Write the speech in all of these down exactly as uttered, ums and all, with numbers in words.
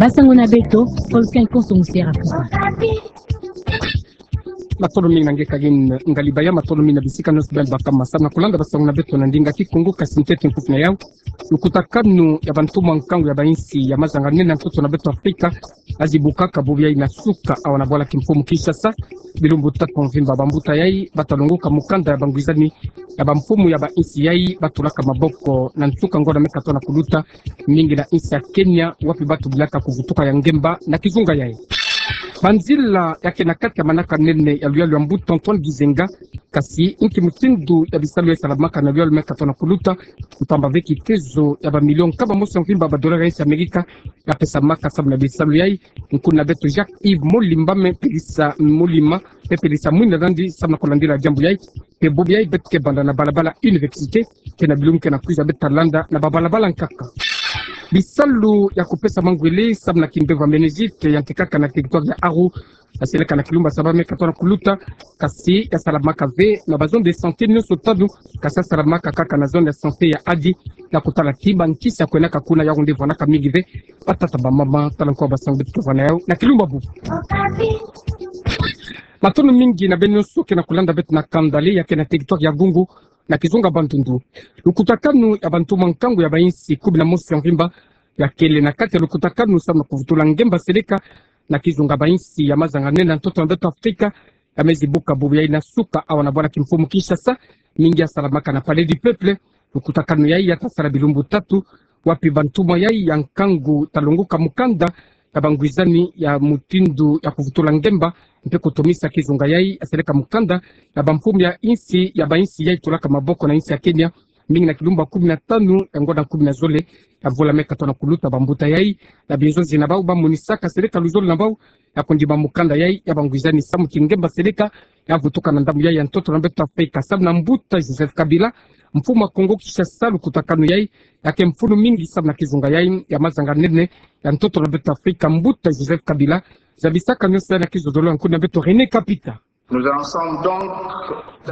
Basango na beto, Volcan Konso Musera Kuba. Matondo mingi na nge Karine Ngalibaya, matondo mingi na bisika nyonso beno baka ma samu na kulanda basango na beto na ndinga Kikongo, kasi ntete nkufi na yau. Lukutakanu ya bantumwa nkangu ya bainsi ya mazanga nene ya ntoto na beto Afrika, azi bukaka bubu yayi na suka awa na bwala kimfumu Kinshasa, bilumbu tatu mvimba. Bambuta yayi bata longoka mukanda ya bangwizani ya bamfumu ya bainsi yayi batulaka maboko na nsuka ngonda mia katona kuluta, mingi na insi ya Kenya, wapi bata bilaka kuvutuka ya ngemba na kizunga yayi. Banzila ya ke na kati ya manaka nene ya luyalu ya mbuta Antoine Gizenga, kasi inki mutindu ya bisalu yayi salamaka na luyalu mia katona kuluta, mpamba ve kitezo ya bamilio nkama mosi ya mvimba ba dollar ya insi ya Amerika ya pesamaka samu na bisalu yayi. Nkuna beto Jacques Yves Molimba me pelisa Molima, me pelisa mwinda nandi samu na kulandila diambu yayi. Mpe bubu yayi beto ke banda na balabala Université, ke na bilumbu ke na kwiza beto ta landa na babalabala nkaka. Bisalu ya kupesa mangwele samu na kimbevo ya méningite ya ntekaka na territoire ya Aru, ya seleka na kilumbu ya saba mia katona kuluta, kasi ya salamaka ve na ba zone de santé nyonso tanu, kasi ya salamaka kaka na zone ya santé ya Adi, na kutala ti bankisi ya kwenaka kuna, yau nde vwanaka mingi ve batata bamama. Tala nko basango beto ke vwa na yau na kilumbu ya bubu. Matondo mingi na beno nyonso ke na kulanda beto na kanda le ya ke na territoire ya Gungu, na kizunga Bandundu. Lukutakanu ya bantumwa nkangu ya bainsi kumi na mosi ya mvimba ya kele na kati ya lukutakanu samu na kuvutula ngemba seleka na kizunga bainsi ya mazanga nene ya ntoto na beto Afrika, ya mezi buka bubu yayi na suka awa na bwala kimfumu Kinshasa, mingi ya salamaka na Palais du Peuple. Lukutakanu yayi ya ta sala bilumbu tatu, wapi bantumwa yayi ya nkangu ta longoka mukanda ya bangwizani ya mutindu ya kuvutula ngemba, mpe kutomisa kizunga yayi, ya seleka mukanda ya bamfumu ya insi, ya bainsi yayi tulaka maboko na insi ya Kenya, mingi na kilumbu ya kumi na tanu ya ngonda kumi na zole ya mvula mia katona kuluta. Bambuta yayi, na binzonzi na bau, bamonisaka seleka luzolo na bau ya kundima mukanda yayi ya bangwizani samu ti ngemba seleka ya vutuka na ndambu yayi ya ntoto na beto Afrika. Samu na mbuta Joseph Kabila, mfumu ya Kongo Kinshasa, lukutakanu yayi ya ke mfunu mingi samu na kizunga yayi ya mazanga nene ya ntoto na beto Afrika. Mbuta Joseph Kabila, zabisaka nyonso yayi na kizololo ya nkuna beto René Kapita. Nous en sommes donc...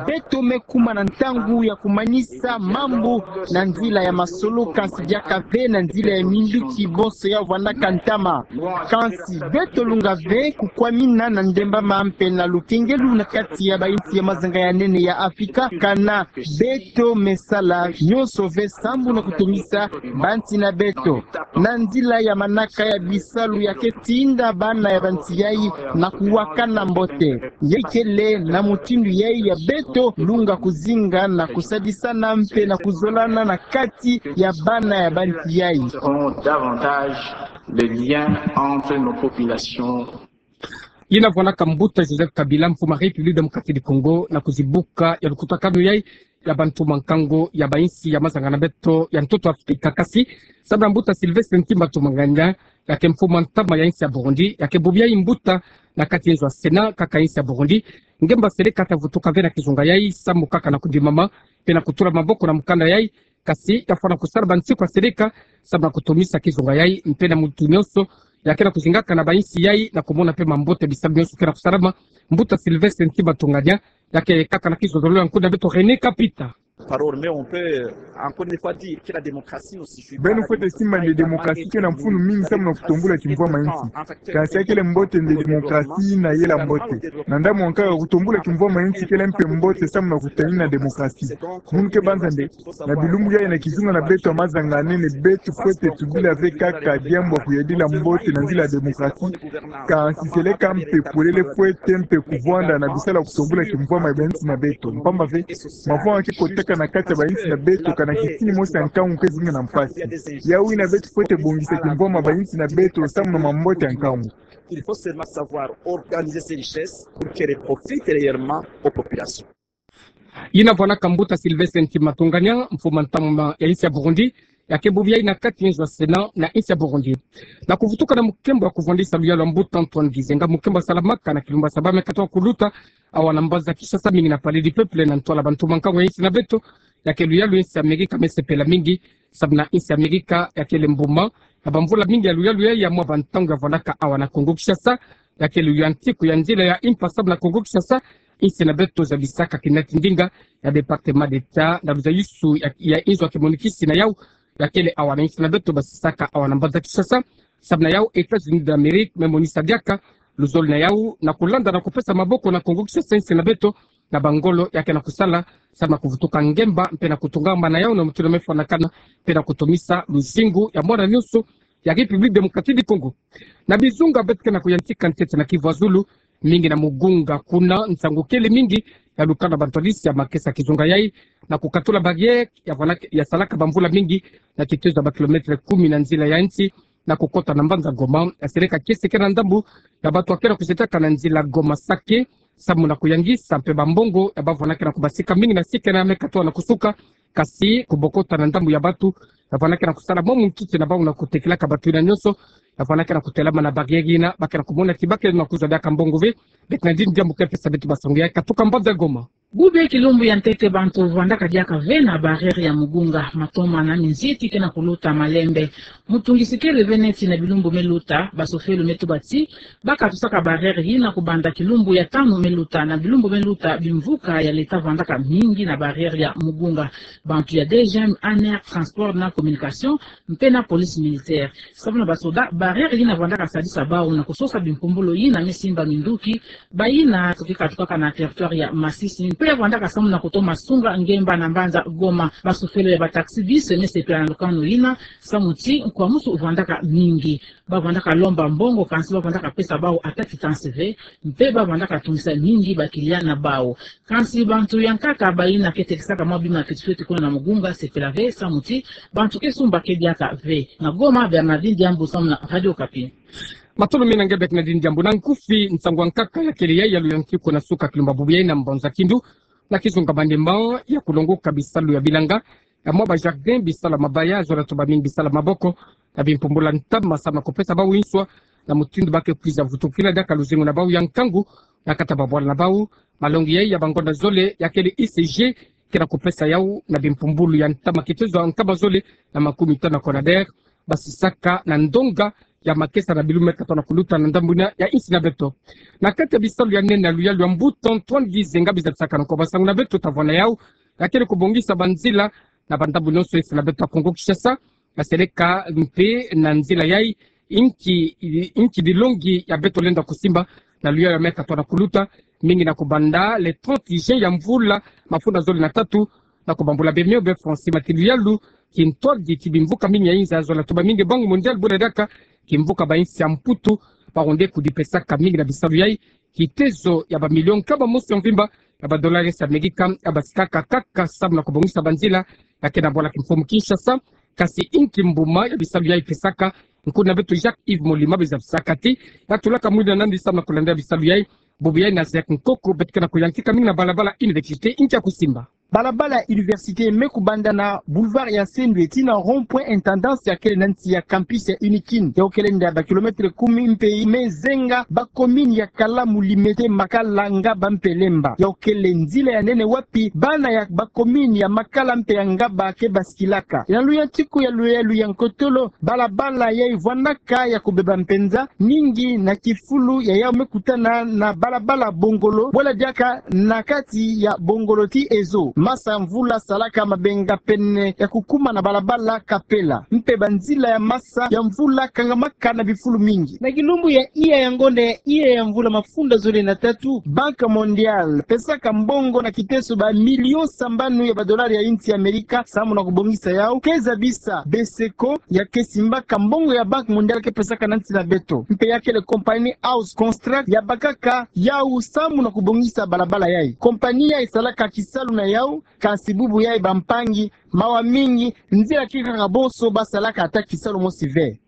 Beto me kuma na ntangu ya kumanisa mambu na nzila ya masolo, kansi diaka ve na nzila ya minduki bonso ya vwandaka ntama. Kansi beto lunga ve kukwamina na ndembama mpe na lukengelu na kati ya bainsi ya mazanga ya nene ya Afrika, kana beto me sala nyonso ve sambu na kutomisa bansi na beto na nzila ya manaka ya bisalu ya ke tinda bana ya bansi yayi na kuwakana mbote. Yayi kele na mutindu yayi ya beto lunga kuzinga na kusadisana mpe na kuzolana na kati ya bana ya bansi yayi. Seront davantage le lien entre nos populations. Yina vwanaka mbuta Joseph Kabila, mfumu ya République Démocratique du Congo, na kuzibuka ya lukutakanu yayi ya bantumwa nkangu ya bainsi ya mazanga na beto ya ntoto Afrika. Kasi samu na mbuta Sylvestre Ntima Ntunganya, ya ke mfumu ya ntama ya insi ya Burundi, ya ke bubu yayi mbuta na kati ya nzo ya Sénat kaka insi ya Burundi, ngemba seleka ta vutuka ve na kizunga yayi samu kaka na kundimama mpe na kutula maboko na mukanda yayi, kasi ya fwana kusala bansiku ya seleka samu na kutomisa kizunga yayi, mpe na mutu nyonso ya ke na kuzingaka na bainsi yayi na kumona mpe mambote bisalu nyonso ke na kusalama. Mbuta Sylvestre Ntima Ntunganya, ya ke kaka na kizololo ya nkuna beto René Kapita. Parole, mais on peut encore une fois dire que la démocratie ne suffit pas. Beno fwete simba nde démocratie ke na mfunu mingi samu na kutombula kimvwama insi. Kansi ya kele mbote nde démocratie na yela mbote. Na ndambu ya nkaka, kutombula kimvwama insi kele mpe mbote samu na kutanina démocratie. Munu ke banza nde na bilumbu yayi na kizunga na beto ya mazanga nene, beto fwete tubila ve kaka diambu ya kuyadila mbote na nzila ya démocratie. Kansi seleka mpe polele fwete mpe kuvwanda na bisalu ya kutombula kimvwama ya bainsi na beto. Mpamba ve, mavwama ke kotaka na kati ya bainsi na beto, kana kisini mosi ya nkangu ke zinga na mpasi. Yawu yina, beto fwete bongisa kimvwama ya bainsi na beto samu na mambote ya nkangu. Il faut seulement savoir organiser ces richesses pour qu'elles profitent réellement aux populations. Yina vwanaka mbuta Sylvestre Ntima Ntunganya, mfumu ya ntama ya insi ya Burundi, ya ke bubu yayi na kati ya nzo ya Sénat na insi ya Burundi. Na kuvutuka na mukembo ya kuvwandisa luyalu ya mbuta Antoine Gizenga, mukembo ya salamaka na kilumbu ya saba mia katona kuluta, awa na mbanza Kinshasa, mingi na Palais du Peuple, na ntwala bantumwa nkangu ya insi na beto, ya ke luyalu ya insi ya Amerika, me sepela mingi samu na insi ya Amerika ya kele mbuma ya bamvula mingi ya luyalu yayi ya mwa bantangu ya vwandaka awa na Kongo Kinshasa, ya kele ya ntiku ya nzila ya impa samu na Kongo Kinshasa. Insi na beto zabisaka kina ti ndinga ya département d'État na luzayisu ya, ya inzo ya kimonikisi na yawu, ya kele awa na insi na beto basisaka awa na mbanza Kinshasa. Samu na yau, États-Unis d'Amérique me monisa diaka luzolo na yau na kulanda na kupesa maboko na Kongo Kinshasa, insi na beto, na bangolo ya ke na kusala samu na kuvutuka ngemba mpe na kutungama na yau na mutindu mefwanakana mpe na kutumisa luzingu ya mwana nyonso ya République Démocratique du Congo. Na bizunga beto ke na kuyantika ntete na Kivu ya Zulu, mingi na Mugunga, kuna nsangu kele mingi ya lukana bantwadisi ya makesa kizunga yai na kukatula barrière ya fwana-, ya salaka bamvula mingi na kitezo ya ba kilomètre kumi na nzila ya nsi na kukota na mbanza Goma. Ya seleka kiese ke na ndambu ya bato ya ke na kuzetaka na nzila Goma-Sake, samu na kuyangisa mpe bambongo ya bafwanaka na kubasika mingi na sika na mekatwa na kusuka, kasi kubokota na ndambu ya bato ya fwanaka na kusala mwa munkiki na bau na kutekelaka bato yina nyonso ya fwanaka na kutelama na barrière yina, ba ke na kumona ti ba ke na kuzwa diaka mbongo ve. Bernardine Diambu ke pesa beto ba sango ya katuka mbanza Goma. Bubu kilumbu ya ntete bantu vwandaka diaka ve na barrière ya Mugunga, matoma na minziti ke na kuluta malembe. Mutungisi kele ve neti na bilumbu meluta, basofelo metuba ti ba katusaka barrière yina kubanda kilumbu ya tanu meluta, na bilumbu meluta bimvuka ya leta vwandaka mingi na barrière ya Mugunga. Bantu ya DGM, ANR, transport na communication, mpe na police militaire. Samu na basoda, barrière yina vwandaka sadisa bau na kusosa bimpumbulu yina mesimba minduki, bayina ke katukaka na territoire ya Masisi. Mpe ya vwandaka samu na kutoma sunga ngemba na mbanza Goma. Basofelo ya ba taxi-bus mesepela na lukanu yina, samu ti nkwamusu vwandaka mingi. Ba vwandaka lomba mbongo, kansi ba vwandaka pesa bau ata quittance ve, mpe ba vwandaka tungisa mingi ba client na bau. Kansi bantu ya nkaka bayina ke tekisaka mwa bima fiti fiti kuna na Mugunga sepela ve, samu ti bantu ke sumba ke diaka ve. Na Goma, Bernardine Diambu samu na Radio Okapi. Matondo mingi na nge Bernardine Diambu. Na nkufi, nsangu ya nkaka ya kele yai ya luyantiku na suka kilumbu bubu yai na Mbanza Kindu, na kizunga Maniema, ya kulongoka bisalu ya bilanga ya mwa ba jardin, bisalu ya mabaya, zola tuba mingi bisalu ya maboko, na bimpumbulu ya ntama samu na kupesa bau nswa na mutindu ba ke kwiza vutukila diaka luzingu na bau ya nkangu na kati ya babwala na bau. Malongi yai ya bangonda zole ya kele ICG ke na kupesa yau na bimpumbulu ya ntama kitezo ya nkama zole na makumi tanu na CONADER, basisaka na ndonga ya makesa na bilumbu mekatwa na kuluta na ndambu yina ya insi na beto. Na kati ya bisalu ya nene ya luyalu ya mbuta Antoine Gizenga, biza bisaka na nko ba sango na beto ta vwanda yau, ya kele kubongisa banzila na bandambu nyonso insi na beto ya Kongo Kinshasa, ya seleka mpe na nzila yai inki, inki dilongi ya beto lenda kusimba na luyalu ya mekatwa na kuluta, mingi na kubanda le trente juin ya mvula mafunda zole na tatu, na kubambula be mio be Francis Matilu, yalu kintwadi ti bimvuka mingi ya inza, zola tuba mingi Banque Mondiale bula diaka kimvuka ba insi ya Mputu, ba onde kudipesaka mingi na bisalu yai kitezo ya ba million nkama mosi ya mvimba ya ba dollars ya Amerika, ya basikaka kaka samu na kubongisa banzila ya ke na bwala kimfumu Kinshasa. Kasi inki mbuma ya bisalu yai pesaka, nkuna beto Jacques Yves Molima biza bisaka ti ya tulaka mwina nandi samu na kulanda bisalu yai. Bubu yai na Zek Nkoko, beto ke na kuyantika mingi na balabala Université, inki ya kusimba. Balabala Université me kubanda na boulevard ya Sendwe tii na rond-point Intendance ya kele na nsi ya campus ya UNIKIN. Yau kele nda ba kilomètre kumi mpe me zenga ba commune ya Kalamu, Limete, Makala, Ngaba mpe Lemba. Yau kele nzila ya nene wapi bana ya ba commune ya Makala mpe ya Ngaba ke basikilaka. Na luyantiku ya luyalu ya nkotolo, balabala yai vwandaka ya kubeba mpenza, mingi na kifulu ya yau me kutana na balabala Bongolo, bwela diaka na kati ya Bongolo tii Ezo. Masa mvula salaka mabenga pene ya kukuma na balabala Kapela. Mpe banzila ya masa ya mvula kangamaka na bifulu mingi. Na kilumbu ya iya ya ngonda ya iya ya mvula mafunda zole na tatu, Banque Mondiale pesaka mbongo na kiteso ba million sambanu ya ba dollars ya insi ya Amerika samu na kubongisa yau. Ke zabisa Beseko ya ke simbaka mbongo ya Banque Mondiale ke pesaka na nsi na beto. Mpe ya kele compagnie House Construct ya bakaka yau samu na kubongisa balabala yai. Compagnie yai salaka kisalu na yau, kasi bubu yai bampangi mawa mingi, nzila ke kaka bonso, ba salaka ata kisalu mosi ve.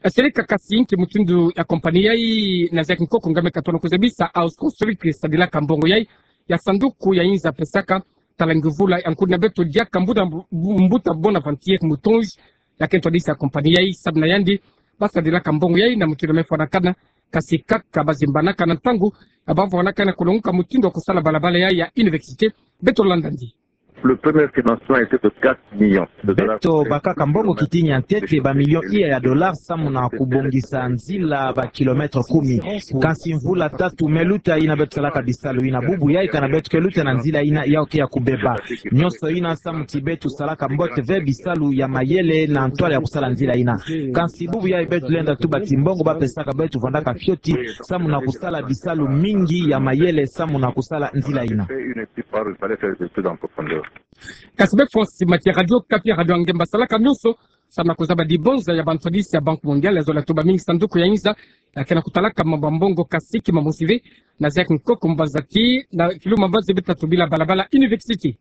Seleka, kasi inki mutindu ya compagnie yai? Na Zek Nkoko nga me katona kuzabisa House Construct sadilaka mbongo yai ya sanduku ya inza pesaka tala nguvula ya nkuna beto diaka mbuta, mbuta Bonaventure Mutonzi, ya ke ntwadisi ya compagnie yai, samu na yandi ba sadilaka mbongo yai na mutindu me fwanakana, kasi kaka ba zimbanaka na ntangu ya ba fwanakana kulongoka mutindu ya kusala balabala yai ya Université. Beto landa ndi. Le premier financement était de quatre millions de dollars. Beto bakaka mbongo kitini ya ntete, ba millions iya ya dollars, samu na kubongisa nzila ba kilomètres kumi. Kansi mvula tatu me luta yina beto salaka bisalu yina. Bubu yayi kana beto ke luta na nzila yina, yawu ke ya kubeba. Nyonso yina samu ti beto salaka mbote ve bisalu ya mayele na ntwala ya kusala nzila yina. Kansi bubu yayi beto lenda tuba ti mbongo bapesaka beto vwandaka fioti, samu na kusala bisalu mingi ya mayele, samu na kusala nzila yina. Kasi be Francis Matia, Radio Okapi, Radio ya nge mba salaka nyonso samu na kuzaba dibonza ya bantwadisi ya Banque Mondiale, ya zola tuba mingi sanduku ya inza ya ke na kutalaka mambu ya mbongo, kasi ki mamosi ve na zek nkoko mbaza ki na kiluma mbaza beto tubila balabala université.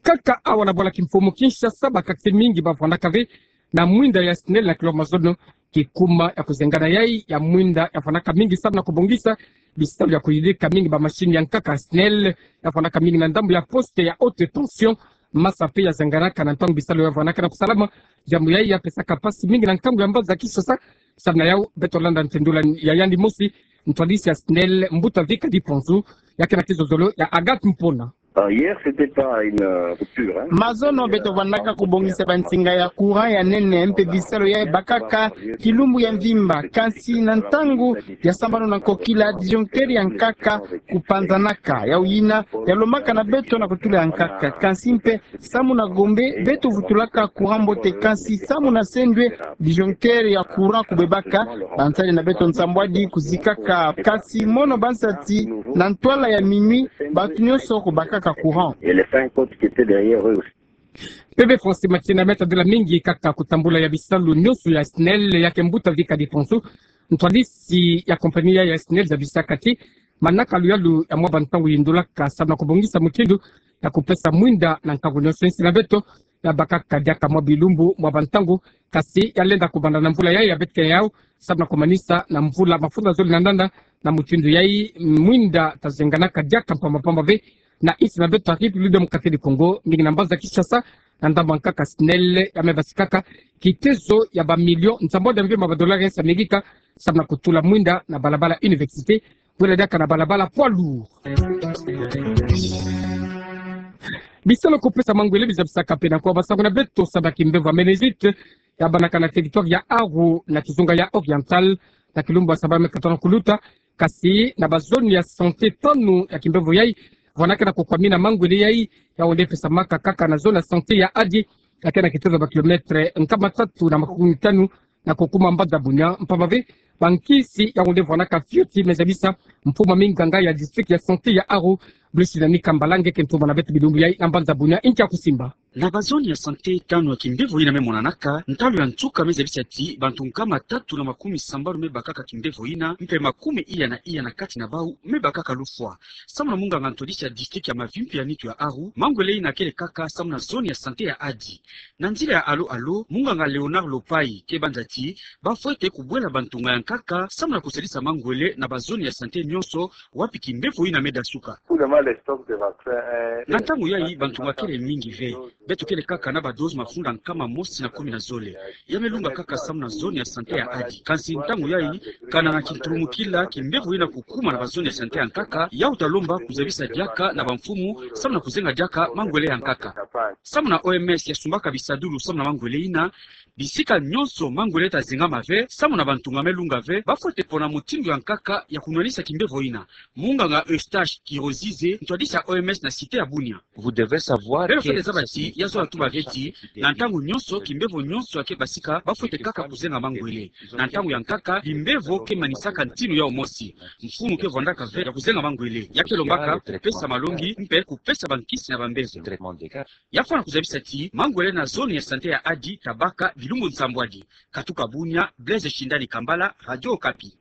Kaka awa na bwala kimfumu Kinshasa, bakakisi mingi bavwandaka ve na mwinda ya SNEL na kilo mazono, kikuma ya kuzengana yayi ya mwinda ya vwandaka mingi samu na kubongisa bisalu ya kuyidika mingi ba machine ya nkaka. SNEL ya vwandaka mingi na ndambu ya poste ya haute tension, masa pe ya zenganaka na ntangu bisalu ya vwandaka na kusalama. Diambu yayi ya pesaka mpasi mingi na nkangu ya mbaza Kinshasa. Samu na yawu beto landa ntendula ya yandi mosi, ntwadisi ya SNEL, Mbuta Vika Diponzu, ya ke na kizozolo ya Agathe Mpona. Ah, hier, c'était pas une, euh, rupture, hein. Mazono beto vwandaka kubongisa bansinga ya courant ya nene, mpe bisalu yayi bakaka kilumbu ya mvimba. Kansi na ntangu ya sambanu na nkokila, disjoncteur ya nkaka kupanzanaka. Yawu yina ya lombaka na beto na kutula ya nkaka. Kansi mpe samu na Gombe, beto vutulaka courant mbote, kansi samu na Sendwe, disjoncteur ya courant kubebaka. Bansadi na beto nsambwadi kuzikaka. Kasi mono bansa ti na ntwala ya minuit, bantu nyonso kubakaka courant. Et les cinq autres qui étaient derrière eux aussi. Bebe Francis Matia, me tendula mingi kaka kutambula ya bisalu nyonso ya SNEL, ya ke Mbuta Vika Diponzu, ntwadisi ya compagnie ya SNEL, zabisaka ti manaka luyalu ya mwa bantangu yindulaka samu na kubongisa mutindu ya kupesa mwinda na nkangu nyonso. Insi na beto ya bakaka diaka mwa bilumbu, mwa bantangu, kasi ya lenda kubanda na mvula yayi ya beto ke yawu, samu na kumanisa na mvula mafunda zole na ndanda. Na mutindu yayi mwinda tazenganaka diaka mpamba mpamba ve na insi na beto ya République Démocratique du Congo, mingi na mbaza Kinshasa, na ndambu ya nkaka SNEL ya me basikaka kitezo ya ba millions nsambwadi ya mvimba ba dollars ya Amerika, samu na kutula mwinda na balabala université, bwela diaka na balabala poids lourd. Bisalu kupesa mangwele bizabisaka pena kwa basango na beto samu na kimbevo ya méningite ya banaka na territoire ya Aru na kizunga ya Oriental, na kilumbu ya saba me katono kuluta. Kasi na ba zone ya santé tanu ya kimbevo yayi, vwandaka na kukwamina mangwele yayi, yawu nde pesamaka kaka na zone ya santé ya Adi, ya ke na kitezo ba kilomètres nkama tatu na makumi tanu na kukuma mbaza Bunia. Mpamba ve, bankisi yawu nde vwandaka fioti, me zabisa mfumu ya minganga ya district ya santé ya Aru, Blusinani Kambala, nge ke ntumba na beto bilumbu yayi na mbaza Bunia, inki ya kusimba. Na ba zone ya santé tanu ya kimbevo yina me monanaka, ntalu ya nsuka me zabisa ti bantu nkama tatu na makumi sambanu me bakaka kimbevo yina, mpe makumi iya na iya na kati na bawu me bakaka lufwa. Samu na munganga ntwadisi ya district ya mavimpi ya nitu ya Aru, mangwele yina kele kaka samu na zone ya santé ya Adi. Na nzila ya alo-alo, munganga Léonard Lopayi ke banza ti bafwete kubwela bantunga ya nkaka samu na kusalisa mangwele na ba zone ya santé nyonso wapi kimbevo yina me dasuka. Na ntangu yayi bantunga kele mingi ve. Beto kele kaka na ba dose mafunda nkama mosi na kumi na zole ya me lunga kaka samu na zone ya santé ya Adi. Kansi ntangu yayi, kana na kintulumukila kimbevo yina kukuma na ba zone ya santé ya nkaka, yawu ta lomba kuzabisa diaka na bamfumu samu na kuzenga diaka mangwele ya nkaka. Samu na O M S ya sumbaka bisadulu samu na mangwele yina, bisika nyonso mangwele ta zengama ve samu na bantunga me lunga ve, bafwete pona mutindu ya nkaka ya kunwanisa kimbevo yina. Munganga Eustache Kirozize, ntwadisi ya O M S na cité ya Bunia. Beno fwete zaba ti, ya zola tuba ve ti, na ntangu nyonso, kimbevo nyonso ya ke basika, bafwete kaka kuzenga mangwele. Na ntangu ya nkaka, bimbevo ke manisaka ntinu yawu mosi. Mfumu ke vwandaka ve ya kuzenga mangwele. Ya ke lombaka kupesa malongi, mpe kupesa bankisi na bambevo. Ya fwana kuzabisa ti mangwele na zone ya santé ya Adi ta baka bilumbu nsambwadi. Katuka Bunia, Blaise Shindani Kambala, Radio Okapi.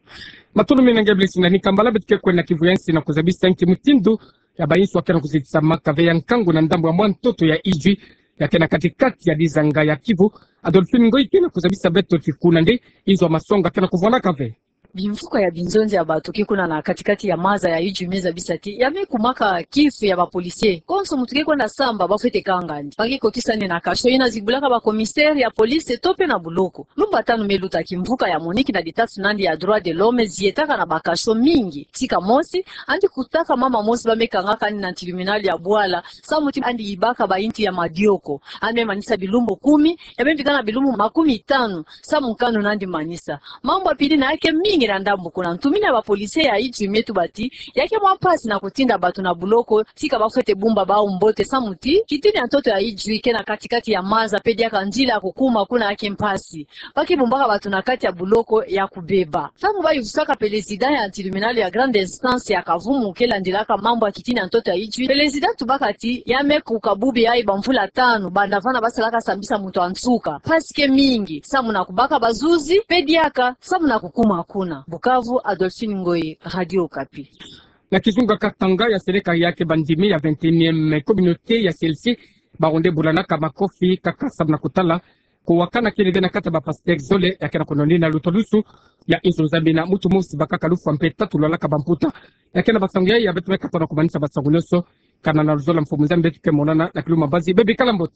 Matondo mingi na nge Blaise Shindani Kambala. Beto ke kwenda na kivu ya nsi na kuzabisa nki mutindu ya bainsu ya ke na kuzitisamaka ve ya nkangu na ndambu ya mwa ntoto ya Idjwi, ya ke na kati-kati ya dizanga ya Kivu. Adolphine Ngoy ke na kuzabisa beto ti kuna nde inzo ya masonga ke na kuvwandaka ve. Bimvuka ya binzonzi ya bato ke kuna na kati-kati ya maza ya Idjwi me zabisa ti ya me kumaka kifu ya ba policiers. Konso muntu ke kwenda samba, ba fwete kanga yandi, ba ke kotisa yandi na cachot. Yina zibulaka ba commissaires ya police to pe na buloko. Lumbu tanu me luta, kimvuka ya MONUC na ditatu na yandi ya droits de l'homme zietaka na ba cachot mingi. Tika mosi, yandi kutaka mama mosi ba me kangaka yandi na tribunal ya bwala, samu ti yandi yibaka ba inti ya madioko. Yandi me manisa bilumbu kumi, ya me bika na bilumbu makumi tanu samu nkanu na yandi manisa. Mambu ya pili na ya ke mingi na ndambu kuna, ntumini ya ba policiers ya Idjwi me tuba ti ya ke mwa mpasi na kutinda bato na buloko, tika ba fwete bumba bawu mbote, samu ti kitini ya ntoto ya Idjwi ke na kati-kati ya maza, pe diaka nzila ya kukuma kuna ya ke mpasi. Ba ke bumbaka bato na kati ya buloko ya kubeba. Ntangu ba yuvusaka président ya tribunal ya grande instance ya Kavumu ke landilaka mambu ya kitini ya ntoto ya Idjwi, président tubaka ti ya me kuka bubi yayi ba mvula tanu, banda vana ba salaka sambisa muntu ya nsuka. Mpasi ke mingi samu na kubaka bazuzi, pe diaka samu na kukuma kuna. Bukavu, Adolphine Ngoyi, Radio Okapi. Na kizunga Katanga, ya seleka ya ke bandimi ya vingt et unième communauté ya C L C, bawu nde bulanaka makofi kaka samu na kutala kuwakana kele bia na kati ya ba pasteurs zole, ya ke na kunonina lutalusu ya inzo Nzambi na mutu mosi, bakaka lufwa mpe tatu lwalaka bamputa. Ya ke na basango yayi ya beto me kapa na kumanisa basango nyonso. Kana na luzolo ya Mfumu Nzambi, beto ke monana na kilumbu ya mbazi. Bebikala mbote.